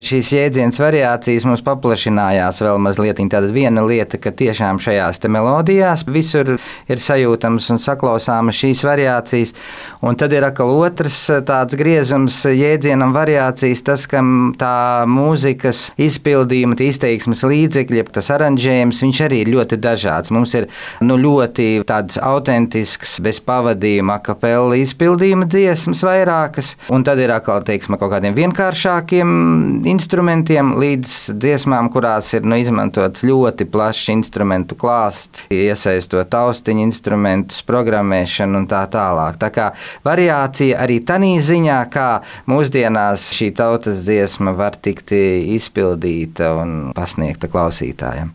šīs jēdzienas variācijas mums paplašinājās vēl mazliet. Tāda viena lieta, ka tiešām šajās te melodijās visur ir sajūtams un saklausāmas šīs variācijas, un tad ir atkal otrs tāds griezums jēdzienam variācijas, tas, ka tā mūzikas izpildījuma, izteiksmes līdzekļi, tas aranžējums, viņš arī ir ļoti dažāds. Mums ir ļoti tāds autentisks, bez pavadījuma, a cappella izpildījuma dziesmas vairākas, un tad ir atkal, teiksim, kaut kādiem vienkāršākiem instrumentiem līdz dziesmām, kurās ir izmantots ļoti plašs instrumentu klāsts, iesaistot austiņu instrumentus, programmēšanu un tā tālāk. Tā kā variācija arī tanī ziņā, kā mūsdienās šī tautas dziesma var tikt izpildīta un pasniegta klausītājiem.